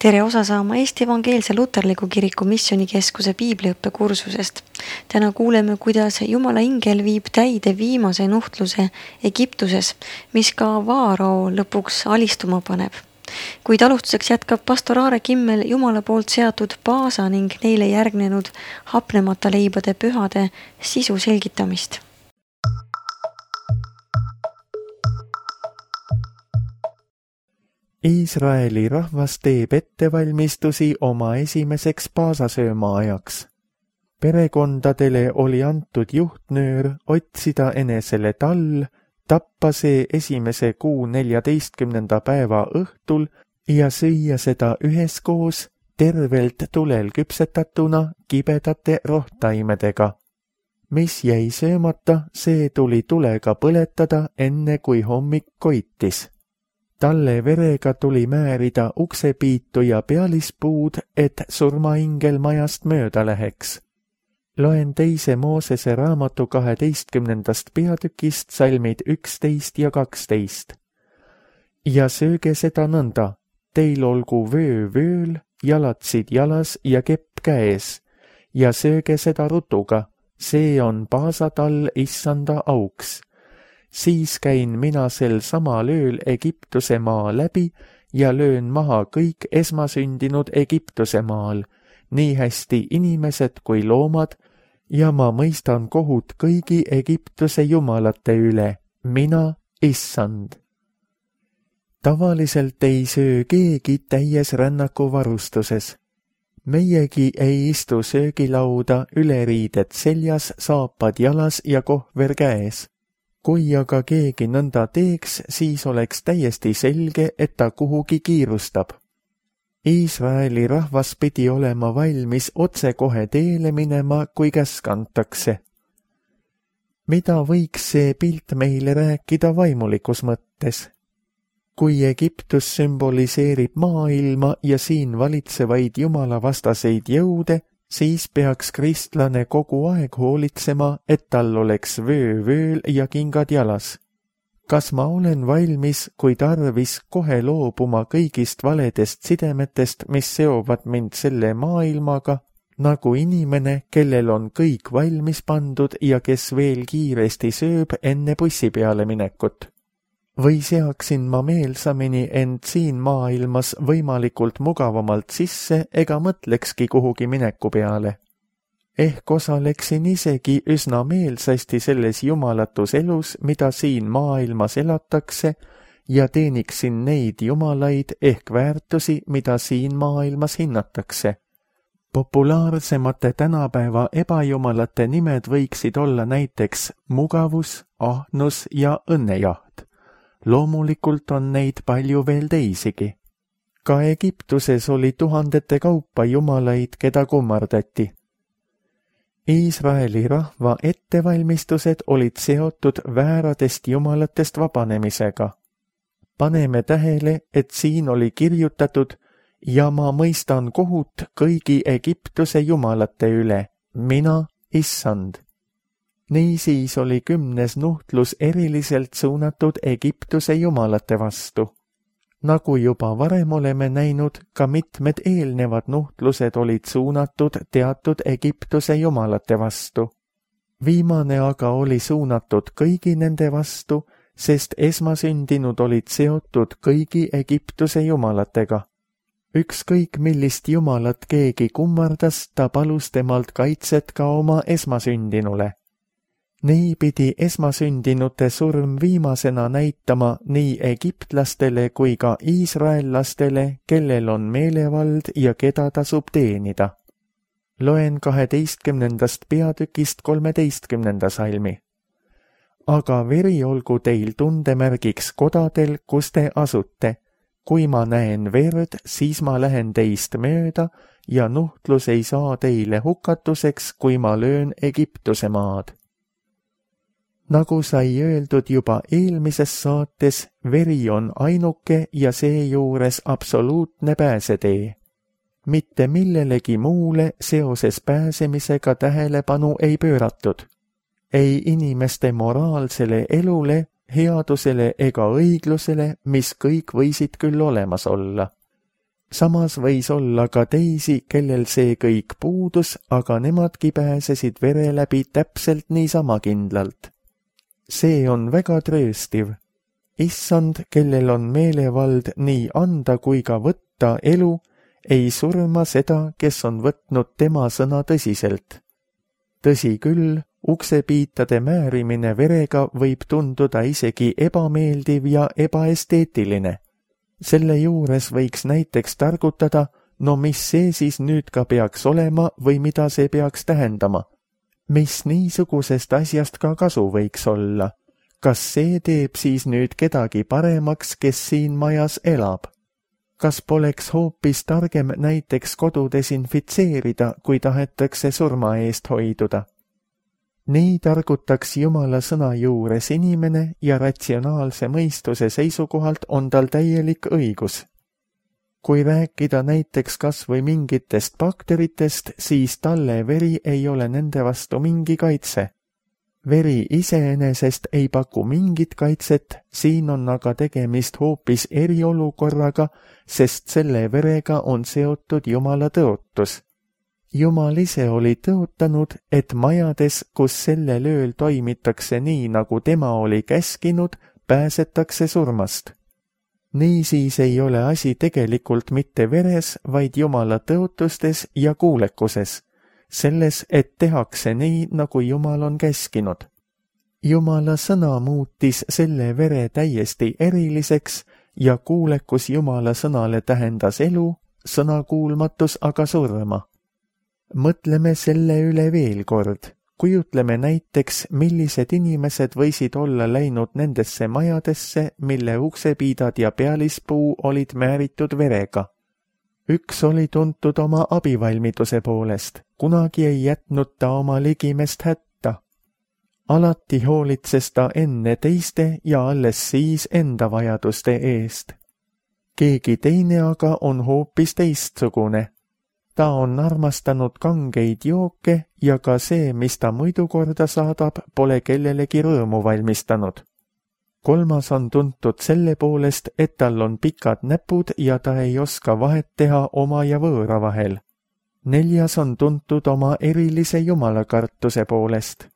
Tere osa saama Eesti Evangeelse Luterliku Kiriku Missioonikeskuse piibliõppekursusest. Täna kuuleme, kuidas Jumala ingel viib täide viimase nuhtluse Egiptuses, mis ka Vaarao lõpuks alistuma paneb. Kuid alustuseks jätkab pastor Aare Kimmel Jumala poolt seatud Paasa ning neile järgnenud hapnemata leibade pühade sisu selgitamist. Iisraeli rahvas teeb ettevalmistusi oma esimeseks paasasööma ajaks. Perekondadele oli antud juhtnöör otsida enesele tall, tappa see esimese kuu 14. päeva õhtul ja süüa seda üheskoos tervelt tulel küpsetatuna kibedate rohtaimedega. Mis jäi söömata, see tuli tulega põletada enne kui hommik koitis. Talle verega tuli määrida uksepiitu ja pealispuud, et surmaingel majast mööda läheks. Loen 2. Moosese raamatu 12. peatükist salmid 11 ja 12. Ja sööge seda nõnda, teil olgu vöö vööl, jalatsid jalas ja kepp käes, ja sööge seda rutuga, see on paasatall issanda auks. Siis käin mina sel samal ööl Egiptuse maa läbi ja löön maha kõik esmasündinud Egiptuse maal, nii hästi inimesed kui loomad, ja ma mõistan kohut kõigi Egiptuse jumalate üle, mina issand. Tavaliselt ei söö keegi täies rännaku varustuses. Meiegi ei istu söögilauda üleriidet seljas, saapad jalas ja kohver käes. Kui aga keegi nõnda teeks, siis oleks täiesti selge, et ta kuhugi kiirustab. Iisraeli rahvas pidi olema valmis otsekohe teele minema, kui käsk antakse. Mida võiks see pilt meile rääkida vaimulikus mõttes? Kui Egiptus sümboliseerib maailma ja siin valitsevaid jumalavastaseid jõude, siis peaks kristlane kogu aeg hoolitsema, et tal oleks vöö vööl ja kingad jalas. Kas ma olen valmis, kui tarvis, kohe loobuma kõigist valedest sidemetest, mis seovad mind selle maailmaga, nagu inimene, kellel on kõik valmis pandud ja kes veel kiiresti sööb enne bussi peale minekut? Või seaksin ma meelsamini end siin maailmas võimalikult mugavamalt sisse ega mõtlekski kuhugi mineku peale? Ehk osaleksin isegi üsna meelsasti selles jumalatus elus, mida siin maailmas elatakse, ja teeniksin neid jumalaid ehk väärtusi, mida siin maailmas hinnatakse. Populaarsemate tänapäeva ebajumalate nimed võiksid olla näiteks mugavus, ahnus ja õnnejaht. Loomulikult on neid palju veel teisigi. Ka Egiptuses oli tuhandete kaupa jumalaid, keda kummardati. Iisraeli rahva ettevalmistused olid seotud vääradest jumalatest vabanemisega. Paneme tähele, et siin oli kirjutatud, ja ma mõistan kohut kõigi Egiptuse jumalate üle, mina issand. Niisiis oli 10. nuhtlus eriliselt suunatud Egiptuse jumalate vastu. Nagu juba varem oleme näinud, ka mitmed eelnevad nuhtlused olid suunatud teatud Egiptuse jumalate vastu. Viimane aga oli suunatud kõigi nende vastu, sest esmasündinud olid seotud kõigi Egiptuse jumalatega. Ükskõik millist jumalat keegi kummardas, ta palus temalt kaitset ka oma esmasündinule. Nii pidi esmasündinute surm viimasena näitama nii egiptlastele kui ka iisraellastele, kellel on meelevald ja keda tasub teenida. Loen 12. peatükist 13. salmi. Aga veri olgu teil tundemärgiks kodadel, kus te asute. Kui ma näen verd, siis ma lähen teist mööda ja nuhtlus ei saa teile hukatuseks, kui ma löön Egiptuse maad. Nagu sai öeldud juba eelmises saates, veri on ainuke ja seejuures absoluutne pääsetee. Mitte millelegi muule seoses pääsemisega tähelepanu ei pööratud. Ei inimeste moraalsele elule, headusele ega õiglusele, mis kõik võisid küll olemas olla. Samas võis olla ka teisi, kellel see kõik puudus, aga nemadki pääsesid vere läbi täpselt niisama kindlalt. See on väga trööstiv. Issand, kellel on meelevald nii anda kui ka võtta elu, ei surma seda, kes on võtnud tema sõna tõsiselt. Tõsi küll, uksepiitade määrimine verega võib tunduda isegi ebameeldiv ja ebaesteetiline. Selle juures võiks näiteks targutada, no mis see siis nüüd ka peaks olema või mida see peaks tähendama. Mis niisugusest asjast ka kasu võiks olla? Kas see teeb siis nüüd kedagi paremaks, kes siin majas elab? Kas poleks hoopis targem näiteks kodu desinfitseerida, kui tahetakse surma eest hoiduda? Nii targutaks Jumala sõna juures inimene ja ratsionaalse mõistuse seisukohalt on tal täielik õigus. Kui rääkida näiteks kas või mingitest bakteritest, siis talle veri ei ole nende vastu mingi kaitse. Veri iseenesest ei paku mingit kaitset, siin on aga tegemist hoopis eriolukorraga, sest selle verega on seotud Jumala tõotus. Jumal ise oli tõotanud, et majades, kus sellel ööl toimitakse nii, nagu tema oli käskinud, pääsetakse surmast. Niisiis ei ole asi tegelikult mitte veres, vaid Jumala tõotustes ja kuulekuses, selles, et tehakse nii, nagu Jumal on käskinud. Jumala sõna muutis selle vere täiesti eriliseks ja kuulekus Jumala sõnale tähendas elu, sõnakuulmatus aga surma. Mõtleme selle üle veel kord. Kujutleme näiteks, millised inimesed võisid olla läinud nendesse majadesse, mille uksepiidad ja pealispuu olid määritud verega. Üks oli tuntud oma abivalmiduse poolest, kunagi ei jätnud ta oma ligimest hätta. Alati hoolitses ta enne teiste ja alles siis enda vajaduste eest. Keegi teine aga on hoopis teistsugune. Ta on armastanud kangeid jooke ja ka see, mis ta muidu korda saadab, pole kellelegi rõõmu valmistanud. Kolmas on tuntud selle poolest, et tal on pikad näpud ja ta ei oska vahet teha oma ja võõra vahel. Neljas on tuntud oma erilise jumalakartuse poolest.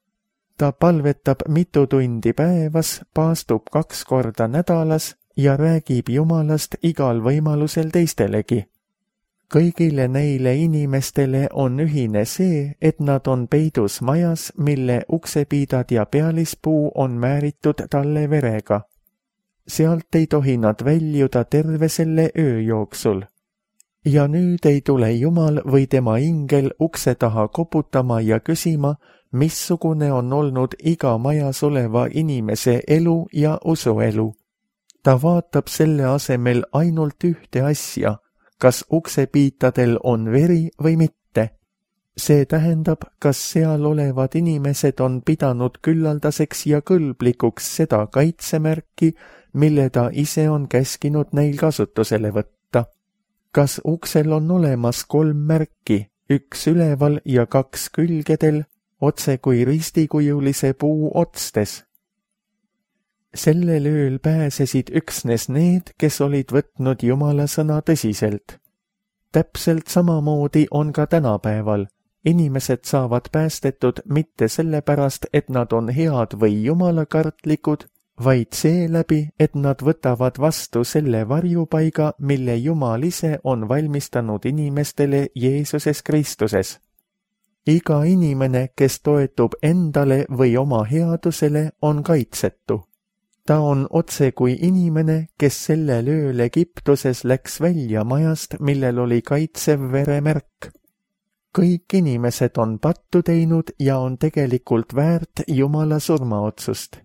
Ta palvetab mitu tundi päevas, paastub 2 korda nädalas ja räägib Jumalast igal võimalusel teistelegi. Kõigile neile inimestele on ühine see, et nad on peidus majas, mille uksepiidad ja pealispuu on määritud talle verega. Sealt ei tohi nad väljuda terve selle öö jooksul. Ja nüüd ei tule Jumal või tema ingel ukse taha koputama ja küsima, missugune on olnud iga majas oleva inimese elu ja usuelu. Ta vaatab selle asemel ainult ühte asja, kas uksepiitadel on veri või mitte. See tähendab, kas seal olevad inimesed on pidanud küllaldaseks ja kõlblikuks seda kaitsemärki, mille ta ise on käskinud neil kasutusele võtta. Kas uksel on olemas 3 märki, 1 üleval ja 2 külgedel, otse kui ristikujulise puu otstes? Sellel ööl pääsesid üksnes need, kes olid võtnud Jumala sõna tõsiselt. Täpselt samamoodi on ka tänapäeval. Inimesed saavad päästetud mitte sellepärast, et nad on head või jumalakartlikud, vaid seeläbi, et nad võtavad vastu selle varjupaiga, mille Jumal ise on valmistanud inimestele Jeesuses Kristuses. Iga inimene, kes toetub endale või oma headusele, on kaitsetu. Ta on otse kui inimene, kes sellel ööl Egiptuses läks välja majast, millel oli kaitsev veremärk. Kõik inimesed on pattu teinud ja on tegelikult väärt Jumala surmaotsust.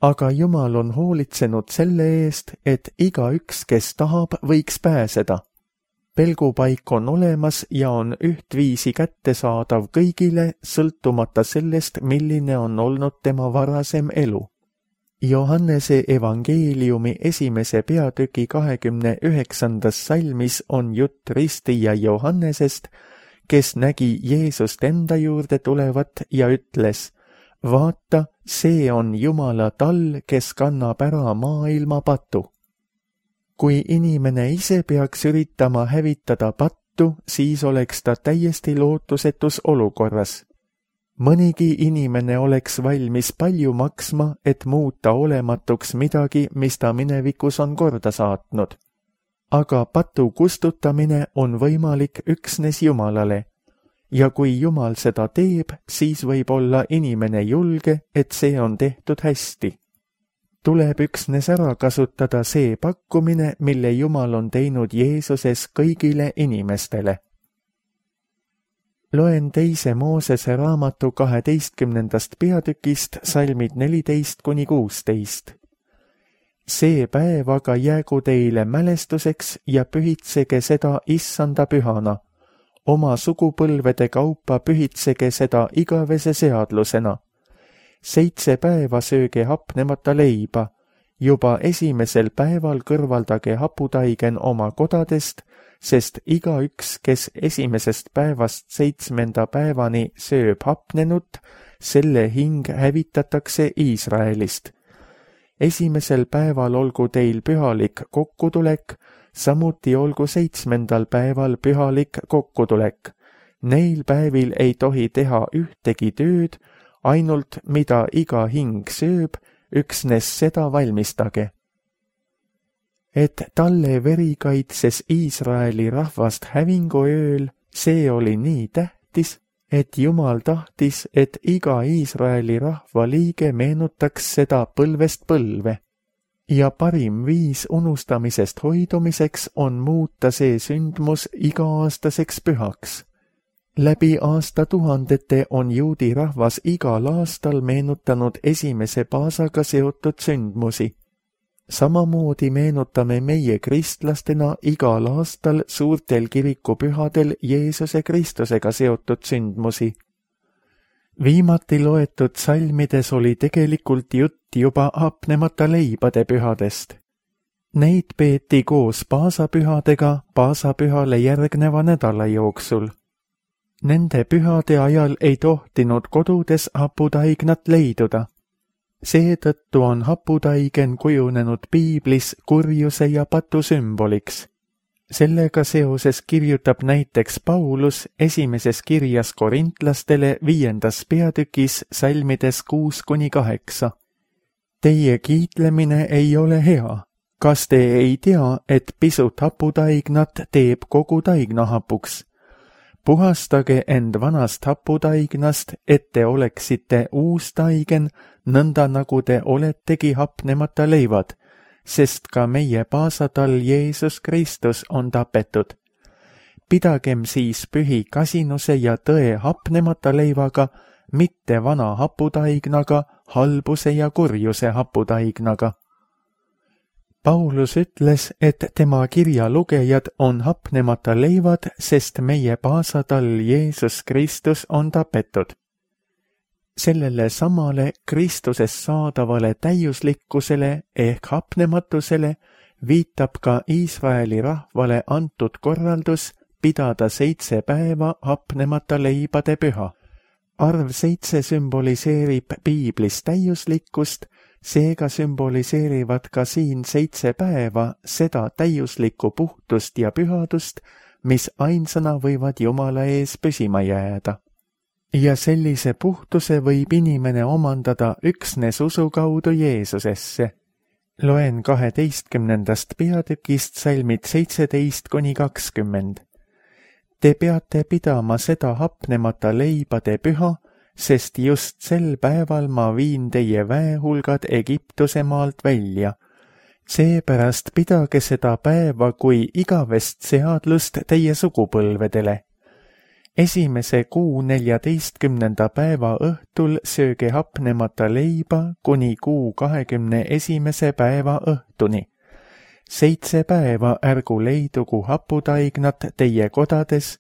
Aga Jumal on hoolitsenud selle eest, et igaüks, kes tahab, võiks pääseda. Pelgupaik on olemas ja on ühtviisi kättesaadav kõigile, sõltumata sellest, milline on olnud tema varasem elu. Johannese evangeeliumi 1. peatüki 29. salmis on jutt ristija Johannesest, kes nägi Jeesust enda juurde tulevat ja ütles, vaata, see on Jumala tall, kes kannab ära maailma patu. Kui inimene ise peaks üritama hävitada pattu, siis oleks ta täiesti lootusetus olukorras. Mõnigi inimene oleks valmis palju maksma, et muuta olematuks midagi, mis ta minevikus on korda saatnud. Aga patu kustutamine on võimalik üksnes Jumalale. Ja kui Jumal seda teeb, siis võib olla inimene julge, et see on tehtud hästi. Tuleb üksnes ära kasutada see pakkumine, mille Jumal on teinud Jeesuses kõigile inimestele. Loen 2. Moosese raamatu 12. peatükist salmid 14–16. See päev aga jäägu teile mälestuseks ja pühitsege seda Issanda pühana. Oma sugupõlvede kaupa pühitsege seda igavese seadlusena. 7 päeva sööge hapnemata leiba. Juba esimesel päeval kõrvaldage haputaigen oma kodadest, sest igaüks, kes esimesest päevast 7. päevani sööb hapnenut, selle hing hävitatakse Iisraelist. Esimesel päeval olgu teil pühalik kokkutulek, samuti olgu 7. päeval pühalik kokkutulek. Neil päevil ei tohi teha ühtegi tööd, ainult mida iga hing sööb, üksnes seda valmistage. Et talle veri kaitses Iisraeli rahvast hävinguööl, see oli nii tähtis, et Jumal tahtis, et iga Iisraeli rahva liige meenutaks seda põlvest põlve. Ja parim viis unustamisest hoidumiseks on muuta see sündmus iga-aastaseks pühaks. Läbi aastatuhandete on juudi rahvas igal aastal meenutanud esimese paasaga seotud sündmusi. Samamoodi meenutame meie kristlastena igal aastal suurtel kirikupühadel Jeesuse Kristusega seotud sündmusi. Viimati loetud salmides oli tegelikult jutt juba hapnemata leibade pühadest. Neid peeti koos paasapühadega paasapühale järgneva nädala jooksul. Nende pühade ajal ei tohtinud kodudes haputaignat leiduda. Seetõttu on haputaigen kujunenud piiblis kurjuse ja patu sümboliks. Sellega seoses kirjutab näiteks Paulus esimeses kirjas korintlastele 5. peatükis salmides 6–8. Teie kiitlemine ei ole hea. Kas te ei tea, et pisut haputaignat teeb kogu taigna hapuks? Puhastage end vanast haputaignast, et te oleksite uus taigen, nõnda nagu te oletegi hapnemata leivad, sest ka meie paasatall Jeesus Kristus on tapetud. Pidagem siis pühi kasinuse ja tõe hapnemata leivaga, mitte vana haputaignaga, halbuse ja kurjuse haputaignaga. Paulus ütles, et tema kirja lugejad on hapnemata leivad, sest meie paasatall Jeesus Kristus on tapetud. Sellele samale Kristuses saadavale täiuslikkusele ehk hapnematusele viitab ka Iisraeli rahvale antud korraldus pidada 7 päeva hapnemata leibade püha. Arv 7 sümboliseerib piiblis täiuslikkust, seega sümboliseerivad ka siin 7 päeva seda täiuslikku puhtust ja pühadust, mis ainsana võivad Jumala ees püsima jääda. Ja sellise puhtuse võib inimene omandada üksnes usu kaudu Jeesusesse. Loen 12. peatükist salmid 17–20. Te peate pidama seda hapnemata leibade püha, sest just sel päeval ma viin teie väehulgad Egiptuse maalt välja. Seepärast pidage seda päeva kui igavest seadlust teie sugupõlvedele. Esimese kuu 14. päeva õhtul sööge hapnemata leiba kuni kuu 21. päeva õhtuni. 7 päeva ärgu leidugu haputaignat teie kodades,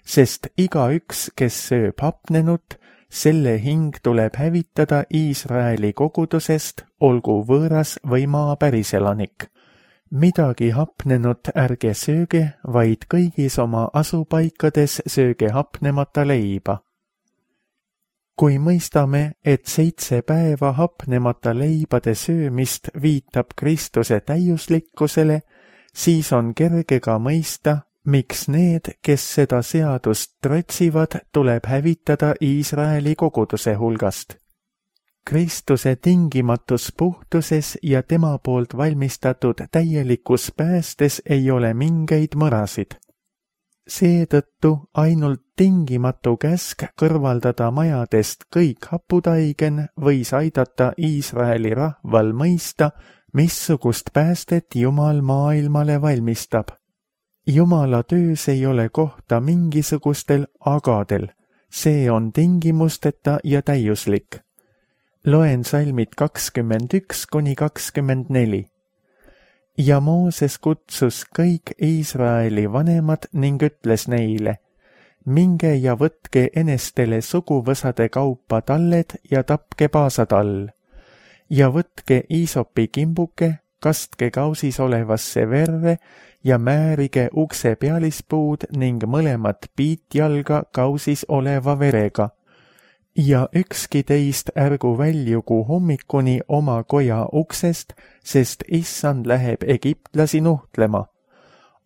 sest igaüks, kes sööb hapnenut, selle hing tuleb hävitada Iisraeli kogudusest, olgu võõras või maa päriselanik. Midagi hapnenut ärge sööge, vaid kõigis oma asupaikades sööge hapnemata leiba. Kui mõistame, et 7 päeva hapnemata leibade söömist viitab Kristuse täiuslikkusele, siis on kerge ka mõista, miks need, kes seda seadust trotsivad, tuleb hävitada Iisraeli koguduse hulgast. Kristuse tingimatus puhtuses ja tema poolt valmistatud täielikus päästes ei ole mingeid mõrasid. Seetõttu ainult tingimatu käsk kõrvaldada majadest kõik haputaigen võis aidata Iisraeli rahval mõista, missugust päästet Jumal maailmale valmistab. Jumala töös ei ole kohta mingisugustel agadel, see on tingimusteta ja täiuslik. Loen salmid 21–24. Ja Mooses kutsus kõik Iisraeli vanemad ning ütles neile, minge ja võtke enestele suguvõsade kaupa talled ja tapke paasatall. Ja võtke iisopi kimbuke, kastke kausis olevasse verre ja määrige ukse pealispuud ning mõlemat piitjalga kausis oleva verega. Ja ükski teist ärgu väljugu hommikuni oma koja uksest, sest issand läheb egiptlasi nuhtlema.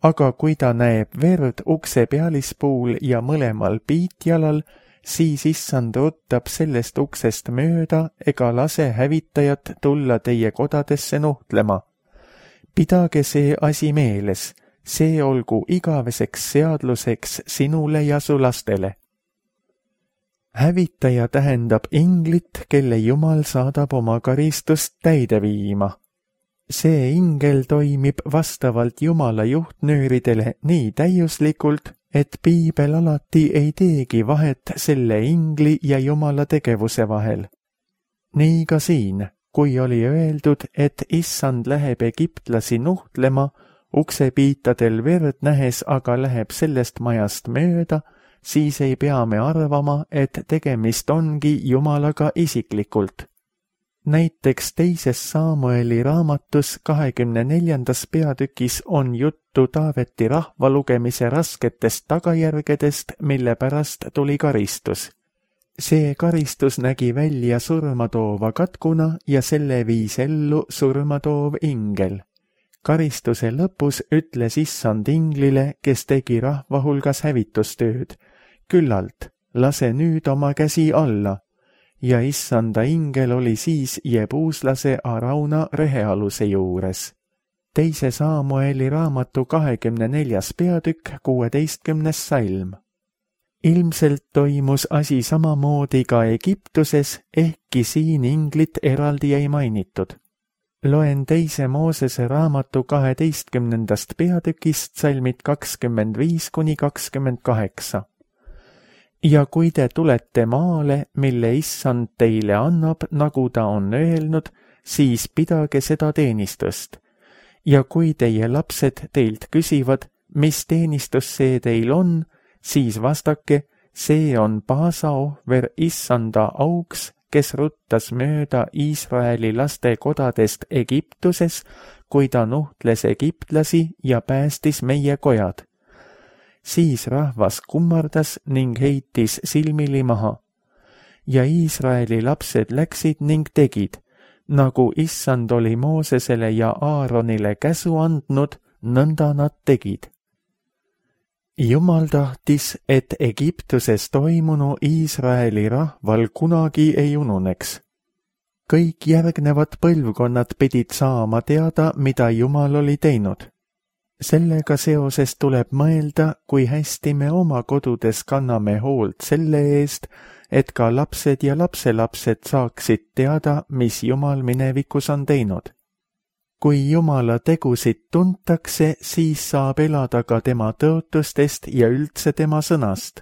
Aga kui ta näeb verd ukse pealispuul ja mõlemal piitjalal, siis issand ruttab sellest uksest mööda ega lase hävitajat tulla teie kodadesse nuhtlema. Pidage see asi meeles, see olgu igaveseks seadluseks sinule ja su lastele. Hävitaja tähendab inglit, kelle Jumal saadab oma karistust täide viima. See ingel toimib vastavalt Jumala juhtnööridele nii täiuslikult, et piibel alati ei teegi vahet selle ingli ja Jumala tegevuse vahel. Nii ka siin, kui oli öeldud, et issand läheb egiptlasi nuhtlema, uksepiitadel verd nähes aga läheb sellest majast mööda, siis ei pea me arvama, et tegemist ongi Jumalaga isiklikult. Näiteks 2. Samueli raamatus 24. peatükis on juttu Taaveti rahva lugemise rasketest tagajärgedest, mille pärast tuli karistus. See karistus nägi välja surmatoova katkuna ja selle viis ellu surmatoov ingel. Karistuse lõpus ütles issand inglile, kes tegi rahva hulgas hävitustööd, küllalt, lase nüüd oma käsi alla. Ja issanda ingel oli siis jebuuslase Arauna rehealuse juures. 2. Samueli raamatu 24. peatükk 16. salm. Ilmselt toimus asi samamoodi ka Egiptuses, ehkki siin inglit eraldi ei mainitud. Loen 2. Moosese raamatu 12. peatükist salmid 25–28. Ja kui te tulete maale, mille issand teile annab, nagu ta on öelnud, siis pidage seda teenistust. Ja kui teie lapsed teilt küsivad, mis teenistus see teil on, siis vastake, see on paasaohver issanda auks, kes ruttas mööda Iisraeli laste kodadest Egiptuses, kui ta nuhtles egiptlasi ja päästis meie kojad. Siis rahvas kummardas ning heitis silmili maha. Ja Iisraeli lapsed läksid ning tegid, nagu issand oli Moosesele ja Aaronile käsu andnud, nõnda nad tegid. Jumal tahtis, et Egiptuses toimunu Iisraeli rahval kunagi ei ununeks. Kõik järgnevad põlvkonnad pidid saama teada, mida Jumal oli teinud. Sellega seoses tuleb mõelda, kui hästi me oma kodudes kanname hoolt selle eest, et ka lapsed ja lapselapsed saaksid teada, mis Jumal minevikus on teinud. Kui Jumala tegusid tuntakse, siis saab elada ka tema tõotustest ja üldse tema sõnast.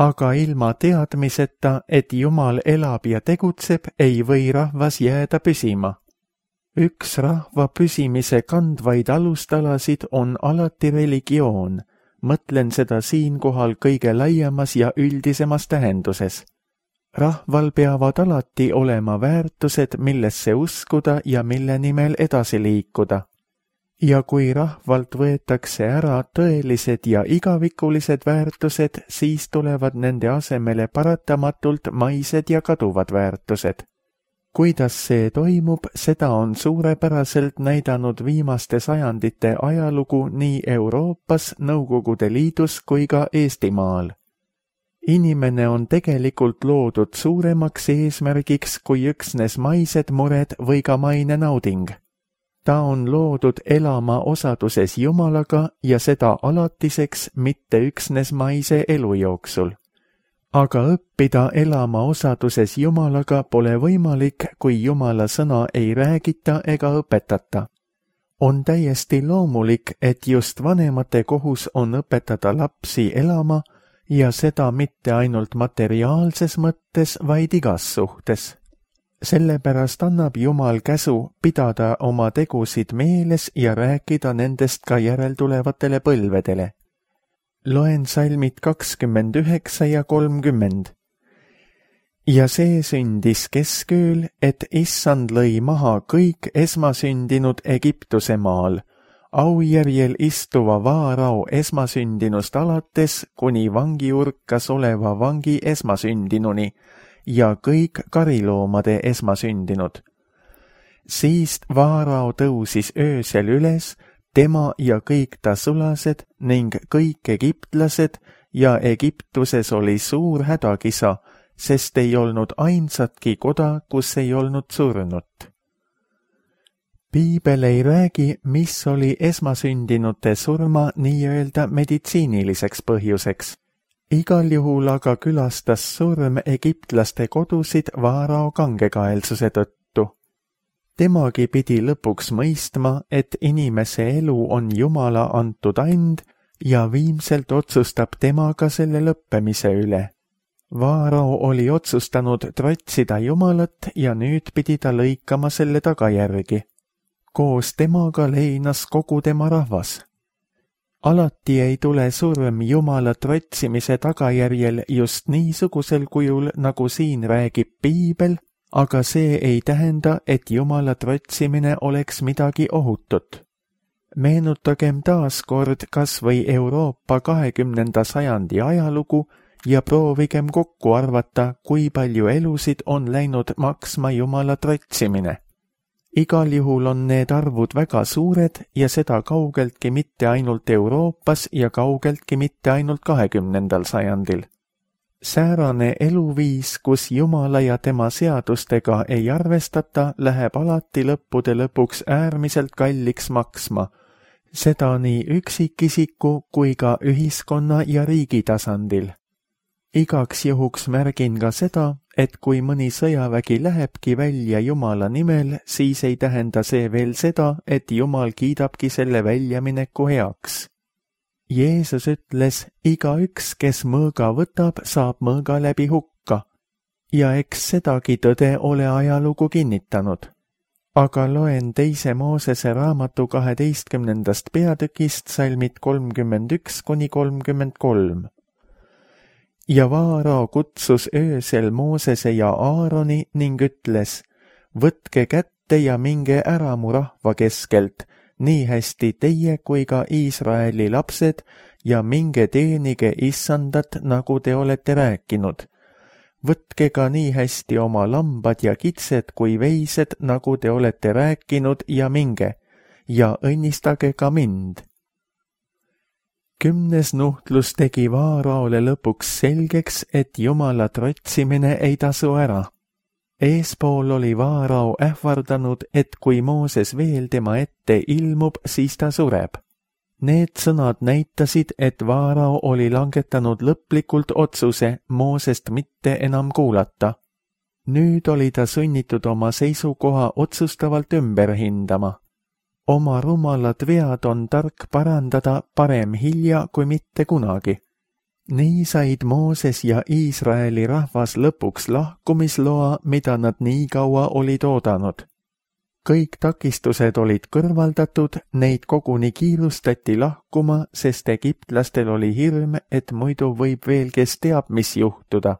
Aga ilma teadmiseta, et Jumal elab ja tegutseb, ei või rahvas jääda püsima. Üks rahva püsimise kandvaid alustalasid on alati religioon, mõtlen seda siinkohal kõige laiemas ja üldisemas tähenduses. Rahval peavad alati olema väärtused, millesse uskuda ja mille nimel edasi liikuda. Ja kui rahvalt võetakse ära tõelised ja igavikulised väärtused, siis tulevad nende asemele paratamatult maised ja kaduvad väärtused. Kuidas see toimub, seda on suurepäraselt näidanud viimaste sajandite ajalugu nii Euroopas, Nõukogude Liidus kui ka Eestimaal. Inimene on tegelikult loodud suuremaks eesmärgiks kui üksnes maised mured või ka maine nauding. Ta on loodud elama osaduses Jumalaga ja seda alatiseks, mitte üksnes maise elu jooksul. Aga õppida elama osaduses Jumalaga pole võimalik, kui Jumala sõna ei räägita ega õpetata. On täiesti loomulik, et just vanemate kohus on õpetada lapsi elama ja seda mitte ainult materiaalses mõttes, vaid igas suhtes. Sellepärast annab Jumal käsu pidada oma tegusid meeles ja rääkida nendest ka järeltulevatele põlvedele. Loen salmid 29 ja 30. Ja see sündis keskööl, et Issand lõi maha kõik esmasündinud Egiptuse maal, aujärjel istuva Vaarao esmasündinust alates kuni vangiurkas oleva vangi esmasündinuni ja kõik kariloomade esmasündinud. Siist Vaarao tõusis öösel üles, tema ja kõik ta sulased ning kõik egiptlased ja Egiptuses oli suur hädakisa, sest ei olnud ainsatki koda, kus ei olnud surnut. Piibel ei räägi, mis oli esmasündinute surma nii-öelda meditsiiniliseks põhjuseks. Igal juhul aga külastas surm egiptlaste kodusid Vaarao kangekaelsuse tõttu. Temagi pidi lõpuks mõistma, et inimese elu on Jumala antud and ja viimselt otsustab tema ka selle lõppemise üle. Vaarao oli otsustanud trotsida Jumalat ja nüüd pidi ta lõikama selle tagajärgi. Koos temaga leinas kogu tema rahvas. Alati ei tule surm Jumala trotsimise tagajärjel just niisugusel kujul, nagu siin räägib Piibel, aga see ei tähenda, et Jumala trotsimine oleks midagi ohutut. Meenutagem taas kord kas või Euroopa 20. sajandi ajalugu ja proovigem kokku arvata, kui palju elusid on läinud maksma Jumala trotsimine. Igal juhul on need arvud väga suured ja seda kaugeltki mitte ainult Euroopas ja kaugeltki mitte ainult 20. sajandil. Säärane eluviis, kus Jumala ja tema seadustega ei arvestata, läheb alati lõppude lõpuks äärmiselt kalliks maksma, seda nii üksikisiku kui ka ühiskonna ja riigi tasandil. Igaks juhuks märgin ka seda, et kui mõni sõjavägi lähebki välja Jumala nimel, siis ei tähenda see veel seda, et Jumal kiidabki selle väljamineku heaks. Jeesus ütles, igaüks, kes mõõga võtab, saab mõõga läbi hukka. Ja eks sedagi tõde ole ajalugu kinnitanud. Aga loen 2. Moosese raamatu 12. peatükist salmid 31–33. Ja Vaarao kutsus öösel Moosese ja Aaroni ning ütles, võtke kätte ja minge ära mu rahva keskelt, nii hästi teie kui ka Iisraeli lapsed, ja minge teenige Issandat, nagu te olete rääkinud. Võtke ka nii hästi oma lambad ja kitsed kui veised, nagu te olete rääkinud, ja minge, ja õnnistage ka mind. 10. nuhtlus tegi Vaaraole lõpuks selgeks, et Jumala trotsimine ei tasu ära. Eespool oli Vaarao ähvardanud, et kui Mooses veel tema ette ilmub, siis ta sureb. Need sõnad näitasid, et Vaarao oli langetanud lõplikult otsuse Moosest mitte enam kuulata. Nüüd oli ta sunnitud oma seisukoha otsustavalt ümber hindama. Oma rumalad vead on tark parandada, parem hilja kui mitte kunagi. Nii said Mooses ja Iisraeli rahvas lõpuks lahkumisloa, mida nad nii kaua olid oodanud. Kõik takistused olid kõrvaldatud, neid koguni kiirustati lahkuma, sest egiptlastel oli hirm, et muidu võib veel kes teab, mis juhtuda.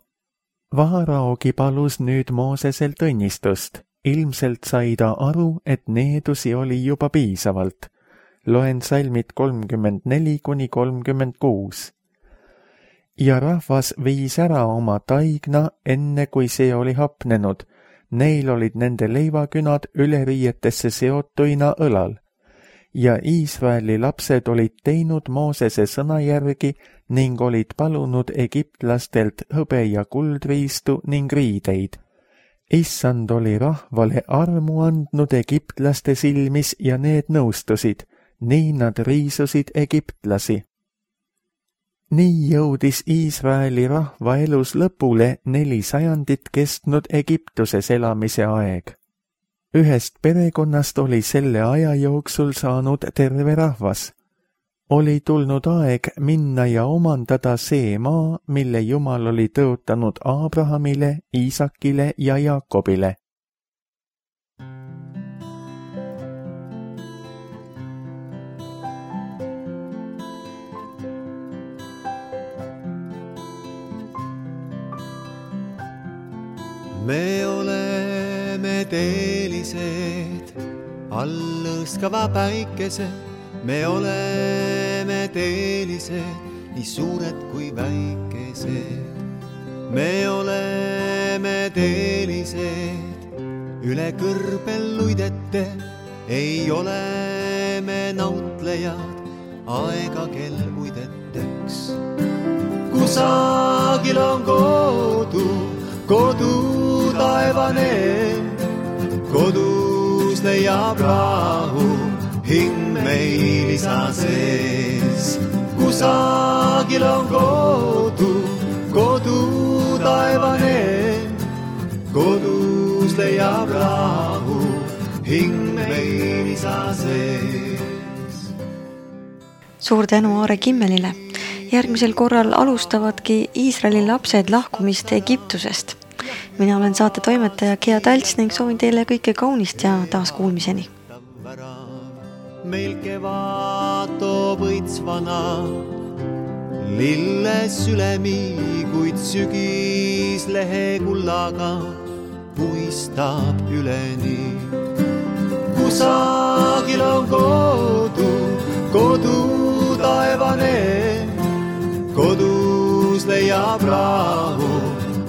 Vaaraogi palus nüüd Mooseselt õnnistust. Ilmselt sai ta aru, et needusi oli juba piisavalt. Loen salmid 34–36. Ja rahvas viis ära oma taigna, enne kui see oli hapnenud, Neil olid nende leivakünad üleriietesse seotuina õlal. Ja Iisraeli lapsed olid teinud Moosese sõna järgi ning olid palunud egiptlastelt hõbe- ja kuldriistu ning riideid. Issand oli rahvale armu andnud egiptlaste silmis ja need nõustusid, nii nad riisusid egiptlasi. Nii jõudis Iisraeli rahva elus lõpule 4 sajandit kestnud Egiptuses elamise aeg. Ühest perekonnast oli selle aja jooksul saanud terve rahvas. Oli tulnud aeg minna ja omandada see maa, mille Jumal oli tõotanud Abrahamile, Iisakile ja Jaakobile. Me oleme teelised, all lõõskava päikese. Me oleme teelised, nii suured kui väikesed. Me oleme teelised, üle kõrbel luidete. Ei ole me nautlejad, aega kel uideteks. Kusagil on kodu taevane, kodus leiab rahu, hing meil isa sees. Kusagil on kodu taevane, kodus leiab rahu, hing meil isa sees. Suur tänu Aare Kimmelile. Järgmisel korral alustavadki Iisraeli lapsed lahkumist Egiptusest. Mina olen saate toimetaja Gea Talts ning soovin teile kõike kaunist ja taas kuulmiseni. Meil kevad toob õitsvana, lilles ülemi, kuid sügis lehe kullaga puistab üleni. Kusagil on kodu taevane, kodus leiab rahu,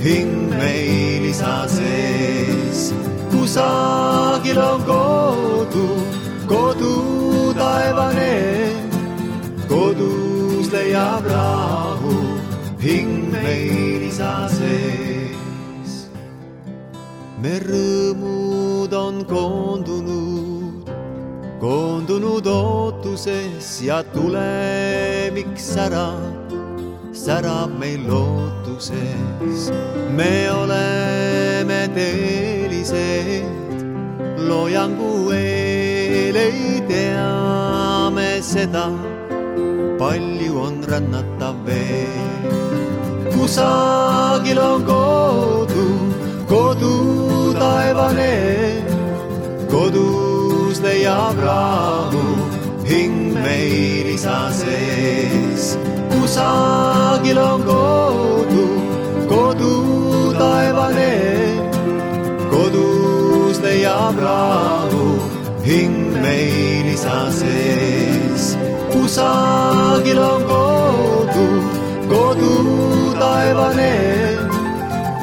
hing meil isa sees. Kusagil on kodu taevane, kodus leiab rahu, hing meil isa sees. Me rõõmud on koondunud ootuses ja tulemiks särab meil lootuses. Me oleme teelised, loojangu eel ei teame seda, palju on rännatav veel. Kusagil on kodu taevane, kodus leiab rahu, hing meil isa sees. Kusagil on kodu taevane, kodus leiab rahu, hing meil isa sees. Kusagil on kodu taevane,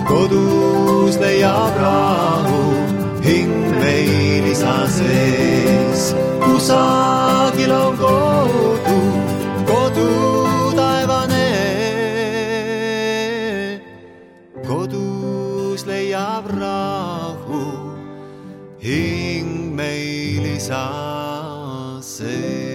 kodus leiab rahu, hing meil isa sees. Kusagil on kodu taevane, kodus leiab rahu, hing meil isa sees.